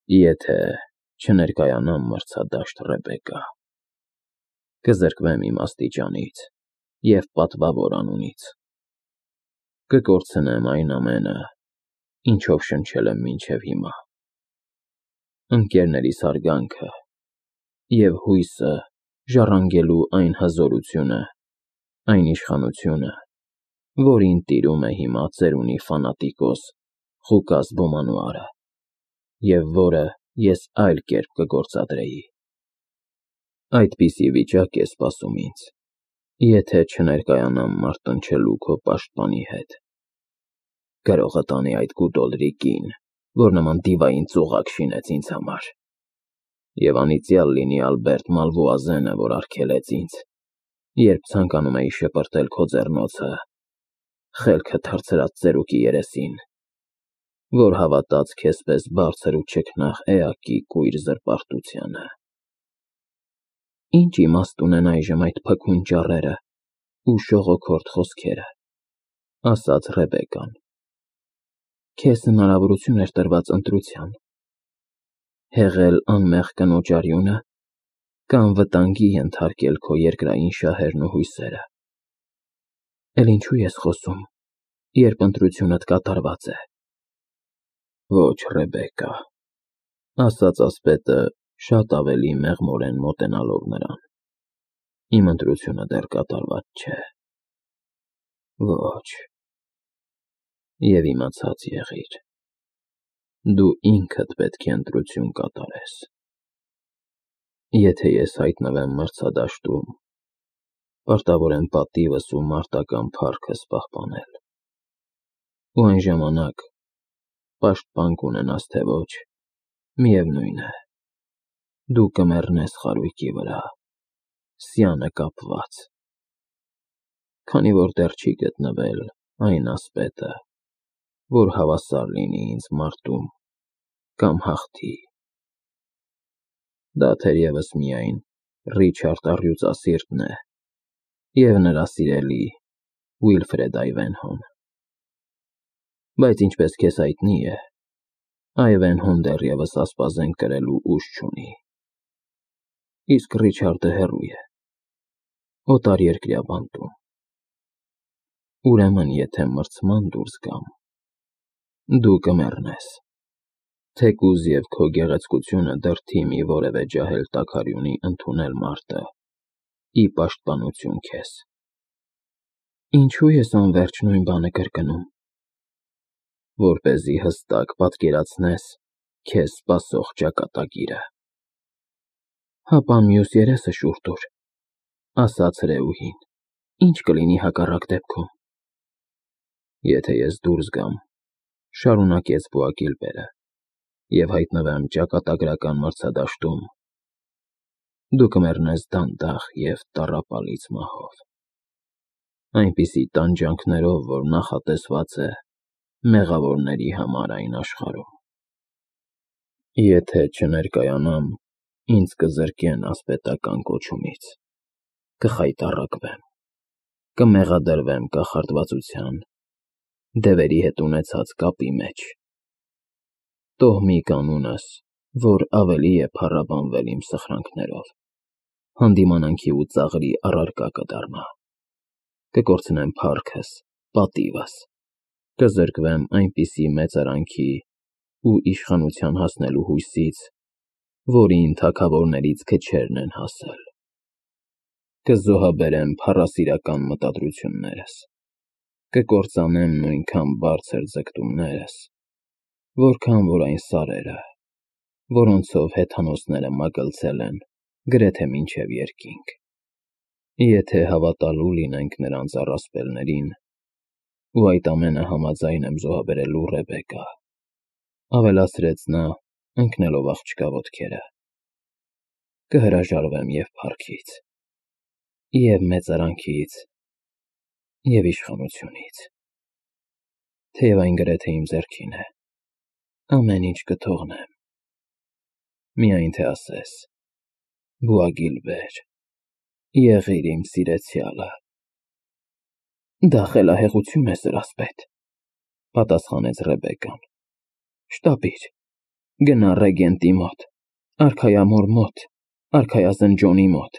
Եթե չներկայանամ մրցադաշտ, Ռեբեկա, կզրկվեմ իմ աստիճանից և պատվավոր անունից, կկորցնեմ այն ամենը, ինչով շնչել եմ մինչև հիմա, ընկերներիս հարգանքը և հույսը ժառանգելու այն հզորությունը, այն իշխանությունը, որին տիրում է հիմա ծերունի ֆանատիկոս Ղուկաս Բոմանուարը, և որը ես այլ կերպ կգործադրեի։ Այդպիսի վիճակ է սպասում ինձ, եթե չներկայանամ մարտնչելու քո պաշտպանի հետ։ Գրողը տանի այդ կուտոլրի կին, որ նման դիվային ծուղակ շինեց ինձ համար, և անիծյալ լինի Ալբերտ Մալվուազենը, որ արգելեց ինձ, երբ ցանկանում էի շպրտել քո ձեռնոցը, խելքը թռցրած ծերուկի երեսին, որ հավատաց քեզպես բարձր ու չքնաղ էակի կույր զրպարտությանը։ Ինչ իմաստ ունեն այժմ այդ փքուն ճառերը ու շողոքորթ խոսքերը, ասաց Ռեբեկան։ Քեզ հնարավորություն էր տրված ընտրության, հեղել անմեղ կնոջ արյունը կամ վտանգի ենթարկել քո երկրային շահերն ու հույսերը։ Էլ ինչու ես խոսում, երբ ընտրությունդ կատարված է։ Ոչ, Ռեբեկա, ասաց ասպետը շատ ավելի մեղմորեն մոտենալով նրան, իմ ընտրությունը դեռ կատարված չէ։ Ոչ, և իմացած եղիր, դու ինքդ պետք է ընտրություն կատարես։ Եթե ես հայտնվեմ մրցադաշտում, պարտավոր եմ պատիվս ու մարտական փառքս պահպանել, ու այն ժամանակ, պաշտպան կունենաս թե ոչ, միևնույն է, դու կմեռնես խարույկի վրա, սյանը կապված, քանի որ դեռ չի գտնվել այն ասպետը, որ հավասար լինի ինձ մարտում կամ հաղթի։ Դա թերևս միայն Ռիչարդ առյուծասիրտն է և նրա սիրելի Ուիլֆրեդ Այվենհոն։ Բայց ինչպես քեզ հայտնի է, Այվենհոն դեռևս ասպազեն կրելու ուժ չունի, իսկ Ռիչարդը հեռու է, օտարերկրյա բանտում։ Ուրեմն, եթե մրցման դուրս գամ, դու կմեռնես, թեկուզ և քո գեղեցկությունը դրդի մի որևէ ջահել տաքարյունի ընդունել մարտը ի պաշտպանություն քեզ։ Ինչու ես անվերջ նույն բանը կրկնում։ Որպեսզի հստակ պատկերացնես քեզ սպասող ճակատագիրը։ Հապա մյուս երեսը շուռ տուր, ասաց Ռեուհին, ինչ կլինի հակառակ դեպքում։ Եթե ես դուրս գամ, շարունակեց Բուագիլբերը, և հայտնվեմ ճակատագրական մրցադաշտում, դու կմեռնես դանդաղ և տառապալից մահով, այնպիսի տանջանքներով, որ նախատեսված է մեղավորների համար այն աշխարհում։ Եթե չներկայանամ, ինձ կզրկեն ասպետական կոչումից, կխայտառակվեմ, կմեղադրվեմ կախարդվածության, դևերի հետ ունեցած կապի մեջ։ Տոհմի կանունս, որ ավելի է փառաբանվել իմ սխրանքներով, հանդիմանանքի ու ծաղրի առարկա կդառնա, կկորցնեմ փառքս, պատիվս, կզրկվեմ այնպիսի մեծարանքի ու իշխանության հասնելու հույսից, որին թագավորներից քչերն են հասել, կզոհաբերեմ փառասիրական մտադրություններս, կկործանեմ նույնքան բարձր ձգտումներս, որքան որ այն սարերը, որոնցով հեթանոսները մագլցել են գրեթե մինչև երկինք, եթե հավատալու լինենք նրանց առասպելներին, ու այդ ամենը համաձայն եմ զոհաբերելու, Ռեբեկա, ավելացրեց նա, ընկնելով աղջկա ոտքերը, կհրաժարվեմ և փառքից, և մեծարանքից, և իշխանությունից, թեև այն գրեթե իմ ձեռքին է, ամեն ինչ կթողնեմ, միայն թե ասես. Բուագիլբեր, եղիր իմ սիրեցյալը։ Դա խելահեղություն է, սրասպետ, պատասխանեց Ռեբեկան։ Շտապիր, Գնա ռեգենտի մոտ, արքայամոր մոտ, արքայազն Ջոնի մոտ։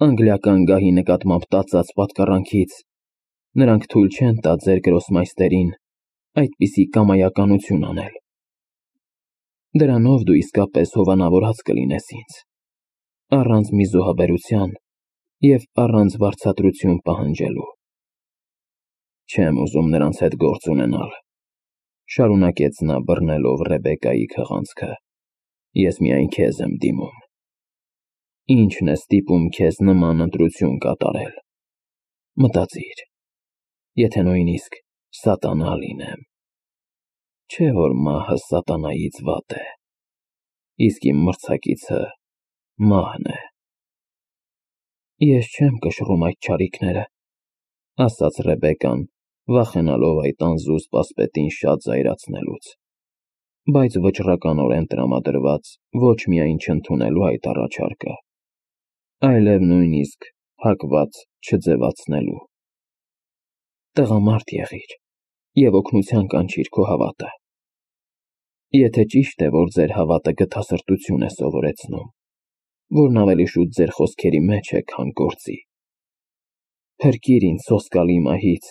Անգլիական գահի նկատմամբ տածած պատկառանքից նրանք թույլ չեն տա ձեր գրոսմայստերին այդպիսի կամայականություն անել։ Դրանով դու իսկապես հովանավորած կլինես ինձ, առանց մի զոհաբերության և առանց վարձատրություն պահանջելու։ Չեմ ուզում նրանց հետ գործ ունենալ, շարունակեց նա բռնելով Ռեբեկայի քղանցքը, ես միայն քեզ եմ դիմում։ Ինչն է ստիպում քեզ նման ընտրություն կատարել։ Մտածիր, եթե նույնիսկ սատանա լինեմ, չէ որ մահը սատանայից վատ է, իսկ իմ մրցակիցը մահն է։ Ես չեմ կշռում այդ չարիքները, ասաց Ռեբեկան, վախենալով այդ անզուսպ ասպետին շատ զայրացնելուց, բայց վճռականորեն տրամադրված ոչ միայն չընդունելու այդ առաջարկը, այլև նույնիսկ հակված չձևացնելու։ Տղամարդ եղիր և օգնության կանչիր քո հավատը։ Եթե ճիշտ է, որ ձեր հավատը գթասրտություն է սովորեցնում, որն ավելի շուտ ձեր խոսքերի մեջ է, քան գործի, փրկիր ինձ սոսկալի մահից,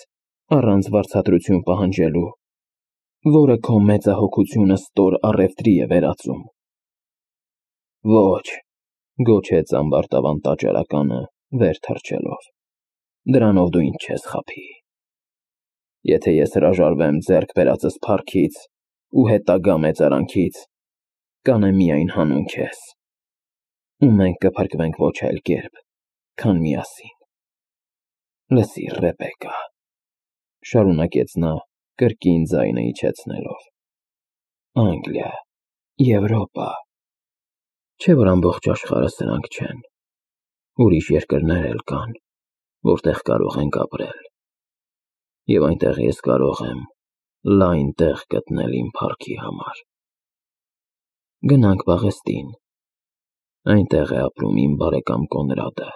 առանց վարձատրություն պահանջելու, որը քո մեծահոգությունը ստոր առևտրի է վերածում։ Ոչ, գոչեց ամբարտավան տաճարականը, վեր թռչելով, դրանով դու ինձ չես խաբի։ Եթե ես հրաժարվեմ ձեռք բերածս փառքից ու հետագա մեծարանքից, կանեմ միայն հանուն քեզ, ու մենք կփրկվենք ոչ այլ կերպ, քան միասին։ Լսիր, Ռեբեկա, շարունակեց նա, կրկին ձայնը իջեցնելով, Անգլիա, Եվրոպա, չէ որ ամբողջ աշխարհը սրանք չեն, ուրիշ երկրներ էլ կան, որտեղ կարող ենք ապրել, և այնտեղ ես կարող եմ լայն տեղ գտնել իմ փառքի համար։ Գնանք Պաղեստին, այնտեղ է ապրում իմ բարեկամ Կոնրադը,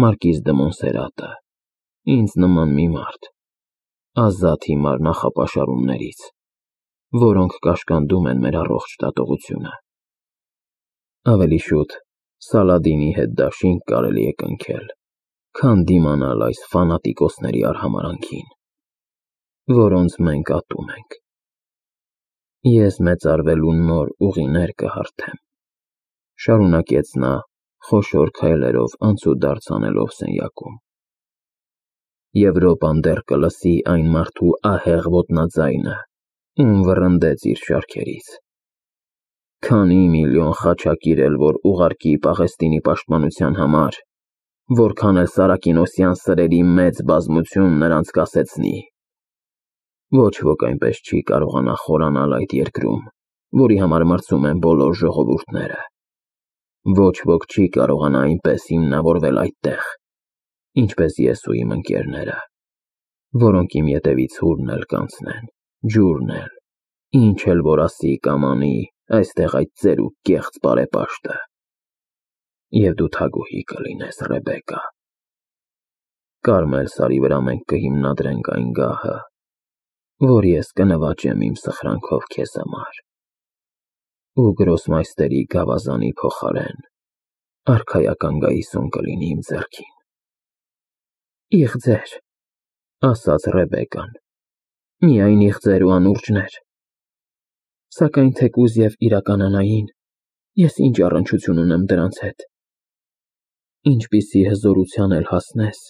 Մարկիզ դը Մոնսերատը, ինձ նման մի մարդ, ազատ հիմար նախապաշարումներից, որոնք կաշկանդում են մեր առողջ դատողությունը։ Ավելի շուտ Սալադինի հետ դաշինք կարելի է կնքել, քան դիմանալ այս ֆանատիկոսների արհամարհանքին, որոնց մենք ատում ենք։ Ես մեծարվելու նոր ուղիներ կհարթեմ, շարունակեց նա, խոշոր քայլերով անցուդարձ անելով սենյակում։ Եվրոպան դեռ կլսի այն մարդու ահեղ ոտնաձայնը, ում վռնդեց իր շարքերից։ Քանի միլիոն խաչակիր էլ որ ուղարկի Պաղեստինի պաշտպանության համար, որքան էլ Սարակինոսյան սրերի մեծ բազմություն նրանց կասեցնի։ Ոչ ոք այնպես չի կարողանա խորանալ այդ երկրում, որի համար մրցում են բոլոր ժողովուրդները։ Ոչ ոք չի կարողանա այնպես հիմնավորվել այդտեղ, ինչպես ես ու իմ ընկերները, որոնք իմ ետևից հուրն էլ կանցնեն, ջուրն էլ, ինչ էլ որ ասի կամ անի այստեղ այդ ծերուկ կեղծ բարեպաշտը։ Եվ դու թագուհի կլինես, Ռեբեկա։ Կարմել սարի վրա մենք կհիմնադրենք այն գահը, որ ես կնվաճեմ իմ սխրանքով քեզ համար, ու գրոսմայստերի գավազանի փոխարեն արքայական գայիսուն կլինի իմ ձեռքին։ Իղձեր, ասաց Ռեբեկան, միայն իղձեր ու անուրջներ, սակայն թեկուզ և իրականանային, ես ինչ առնչություն ունեմ դրանց հետ։ Ինչպիսի հզորության էլ հասնես,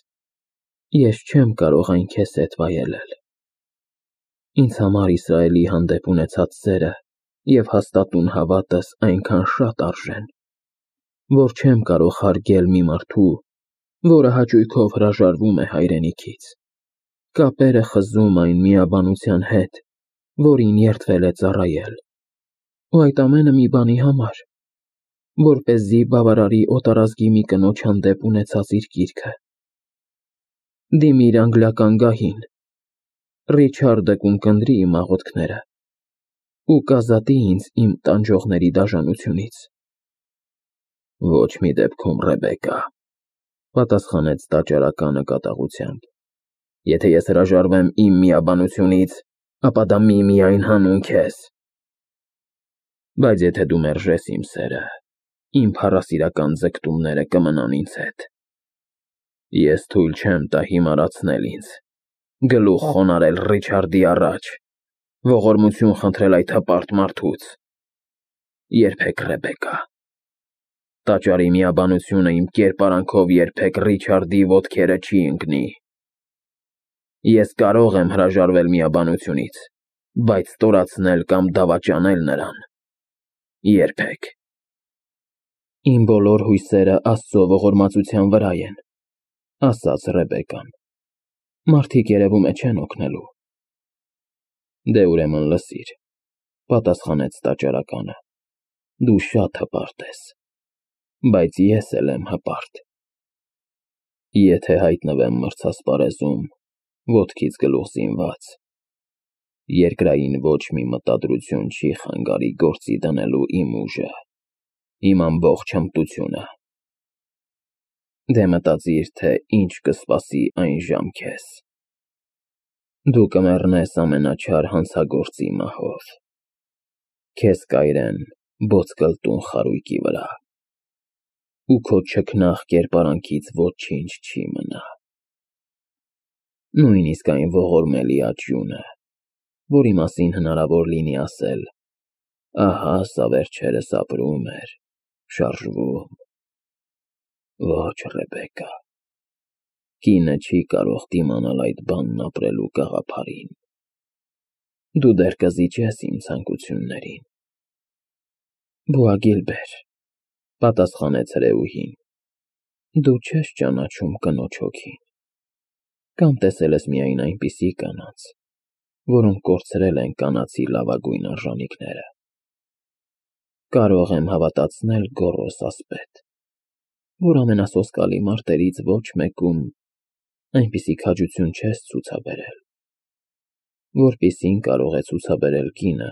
ես չեմ կարող այն քեզ հետ վայելել։ Ինձ համար Իսրայելի հանդեպ ունեցած սերը և հաստատուն հավատս այնքան շատ արժեն, որ չեմ կարող հարգել մի մարդու, որը հաճույքով հրաժարվում է հայրենիքից, կապերը խզում այն միաբանության հետ, որին երդվել է ծառայել, ու այդ ամենը մի բանի համար, որպեսզի բավարարի օտարազգի մի կնոջ հանդեպ ունեցած իր կիրքը։ Դիմիր անգլիական գահին, Ռիչարդը կունկնդրի իմ աղոթքները ու կազատի ինձ իմ տանջողների դաժանությունից։ Ոչ մի դեպքում, Ռեբեկա, պատասխանեց տաճարականը կատաղությամբ, եթե ես հրաժարվեմ իմ միաբանությունից, ապա դա միմիայն հանուն քեզ։ Բայց եթե դու մերժես իմ սերը, իմ փառասիրական ձգտումները կմնան ինձ հետ։ Ես թույլ չեմ տա հիմարացնել ինձ, գլուխ խոնարհել Ռիչարդի առաջ, ողորմություն խնդրել այդ հպարտ մարդուց։ Երբեք, Ռեբեկա, տաճարի միաբանությունը իմ կերպարանքով երբեք Ռիչարդի ոտքերը չի ընկնի։ Ես կարող եմ հրաժարվել միաբանությունից, բայց ստորացնել կամ դավաճանել նրան երբեք։ Իմ բոլոր հույսերը Աստծո ողորմածության վրա են, ասաց Ռեբեկան։ Մարդիկ երևում է չեն օգնելու։ Դե ուրեմն լսիր, պատասխանեց տաճարականը, դու շատ հպարտ ես, բայց ես էլ եմ հպարտ։ Եթե հայտնվեմ մրցասպարեզում, ոտքից գլուխ զինված, երկրային ոչ մի մտադրություն չի խանգարի գործի դնելու իմ ուժը, իմ ամբողջ հմտությունը։ Դե մտածիր, թե ինչ կսպասի այն ժամ քեզ։ Դու կմեռնես ամենաչար հանցագործի մահով, քեզ կայրեն ոսկլտուն խարույկի վրա, ու քո չքնաղ կերպարանքից ոչինչ չի մնա։ Նույնիսկ այն ողորմելի աջյունը, որի մասին հնարավոր լինի ասել. ահա սա վերջերս ապրում էր, շարժվում։ Ոչ, Ռեբեկա, կինը չի կարող դիմանալ այդ բանն ապրելու գաղափարին։ Դու դեռ կզիջես իմ ցանկություններին։ Բուագիլբեր, պատասխանեց հրեուհին, դու չես ճանաչում կնոջ հոգին, կամ տեսել ես միայն այնպիսի կանանց, որոնք կորցրել են կանացի լավագույն արժանինքները։ Կարող եմ հավատացնել գոռոզ ասպետ, որ ամենասոսկալի մարտերից ոչ մեկում այնպիսի քաջություն չես ցուցաբերել, որպիսին կարող է ցուցաբերել կինը,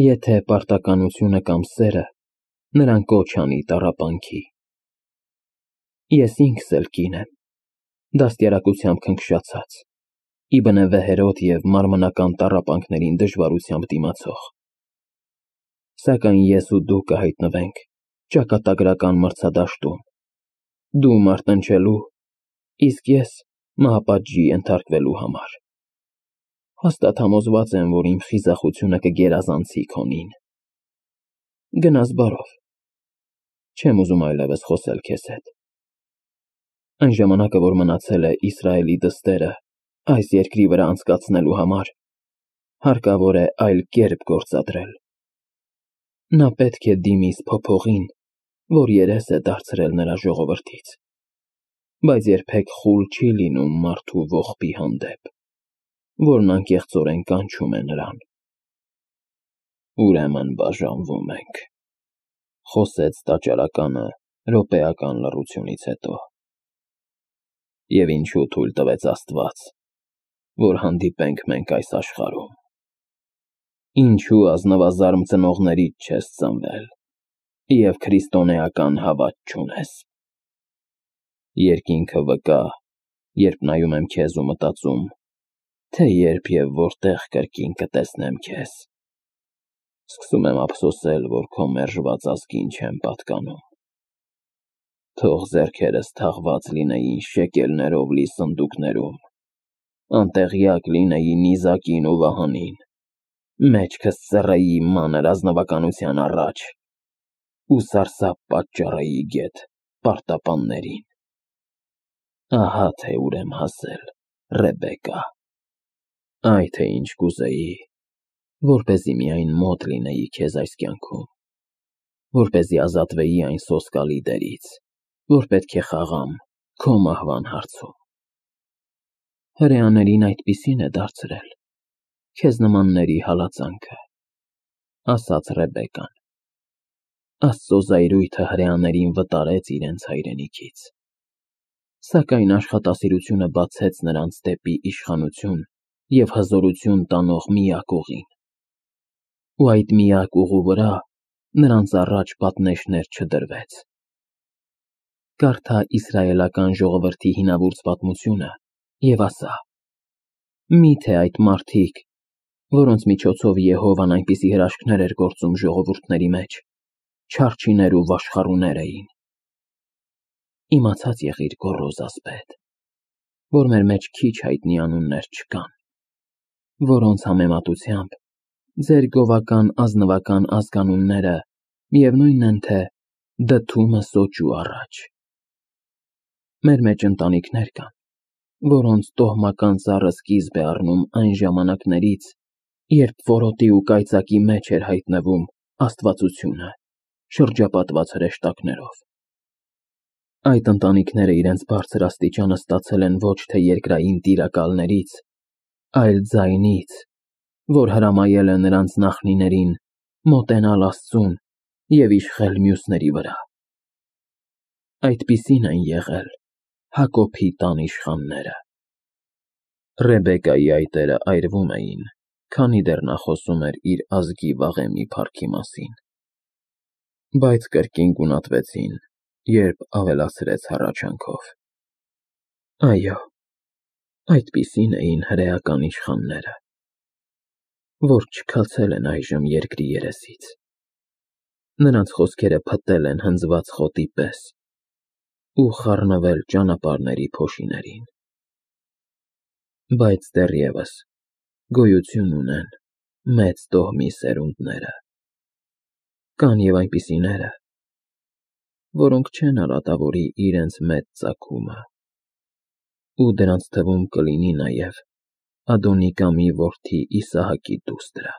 եթե պարտականությունը կամ սերը նրան կոչ անի տառապանքի։ Ես ինքս էլ կին եմ, դաստիարակությամբ քնքշացած, իբնե վեհերոտ և մարմնական տառապանքներին դժվարությամբ դիմացող։ Սակայն ես ու դու կհայտնվենք ճակատագրական մրցադաշտում, դու մարտնչելու, իսկ ես մահապատժի ենթարկվելու համար։ Հաստատ համոզված եմ, որ իմ խիզախությունը կգերազանցի քոնին։ Գնաս բարով, չեմ ուզում այլևս խոսել քեզ հետ։ Այն ժամանակը, որ մնացել է Իսրայելի դստերը այս երկրի վրա անցկացնելու համար, հարկավոր է այլ կերպ գործադրել։ Նա պետք է դիմի սփոփողին, որ երես է դարձրել նրա ժողովրդից, բայց երբեք խուլ չի լինում մարդու ողբի հանդեպ, որն անկեղծորեն կանչում է նրան։ Ուրեմն բաժանվում ենք, խոսեց տաճարականը րոպեական լռությունից հետո։ Եվ ինչու թույլ տվեց Աստված, որ հանդիպենք մենք այս աշխարհում։ Ինչու ազնվազարմ ծնողներից չես ծնվել և քրիստոնեական հավատ չունես։ Երկինքը վկա, երբ նայում եմ քեզ ու մտածում, թե երբ և որտեղ կրկին կտեսնեմ քեզ։ Սկսում եմ ափսոսել, որ քո մերժված ազգին չեմ պատկանում։ Թող ձեռքերս թաղված լինեին շեկելներով լի սնդուկներում, անտեղյակ լինեի նիզակին ու վահանին, մեջքս ծռեի մանր ազնվականության առաջ ու սարսափ պատճառեի գեթ պարտապաններին։ Ահա թե ուր եմ հասել, Ռեբեկա։ Այ թե ինչ կուզեի, որպեսզի միայն մոտ լինեի քեզ այս կյանքում, որպեսզի ազատվեի այն սոսկալի դերից, որ պետք է խաղամ քո մահվան հարցում։ Հրեաներին այդպիսին է դարձրել քեզ նմանների հալածանքը, ասաց Ռեբեկան։ Աստծո զայրույթը հրեաներին վտարեց իրենց հայրենիքից, սակայն աշխատասիրությունը բացեց նրանց դեպի իշխանություն և հզորություն տանող միակ ուղին, ու այդ միակ ուղու վրա նրանց առաջ պատնեշներ չդրվեց։ Կարդա իսրայելական ժողովրդի հինավուրց պատմությունը և ասա. մի՞թե այդ մարդիկ, որոնց միջոցով Եհովան այնպիսի հրաշքներ էր գործում ժողովուրդների մեջ, չարչիներ ու վաշխառուներ էին։ Իմացած եղիր, գոռոզ ասպետ, որ մեր մեջ քիչ հայտնի անուններ չկան, որոնց համեմատությամբ ձեր գովական ազնվական ազգանունները միևնույնն են, թե դդումը սոճու առաջ։ Մեր մեջ ընտանիքներ կան, որոնց տոհմական ծառը սկիզբ է առնում այն ժամանակներից, երբ որոտի ու կայծակի մեջ էր հայտնվում աստվածությունը, շրջապատված հրեշտակներով։ Այդ ընտանիքները իրենց բարձր աստիճանը ստացել են ոչ թե երկրային տիրակալներից, այլ ձայնից, որ հրամայել է նրանց նախնիներին մոտենալ Աստծուն և իշխել մյուսների վրա։ Այդպիսին են եղել Հակոբի տան իշխանները։ Ռեբեկայի այտերը այրվում էին, քանի դեռ նա խոսում էր իր ազգի վաղեմի փառքի մասին, բայց կրկին գունատվեցին, երբ ավելացրեց հառաչանքով. Այո, այդպիսին էին հրեական իշխանները, որ չքացել են այժմ երկրի երեսից։ Նրանց խոսքերը փտտել են հնձված խոտի պես ու խառնվել ճանապարհների փոշիներին։ Բայց դեռևս գոյություն ունեն մեծ տոհմի սերունդները։ Կան և այնպիսիները, որոնք չեն արատավորի իրենց մեծ ծագումը, ու դրանց թվում կլինի նաև Ադոնիկամի որդի Իսահակի դուստրը։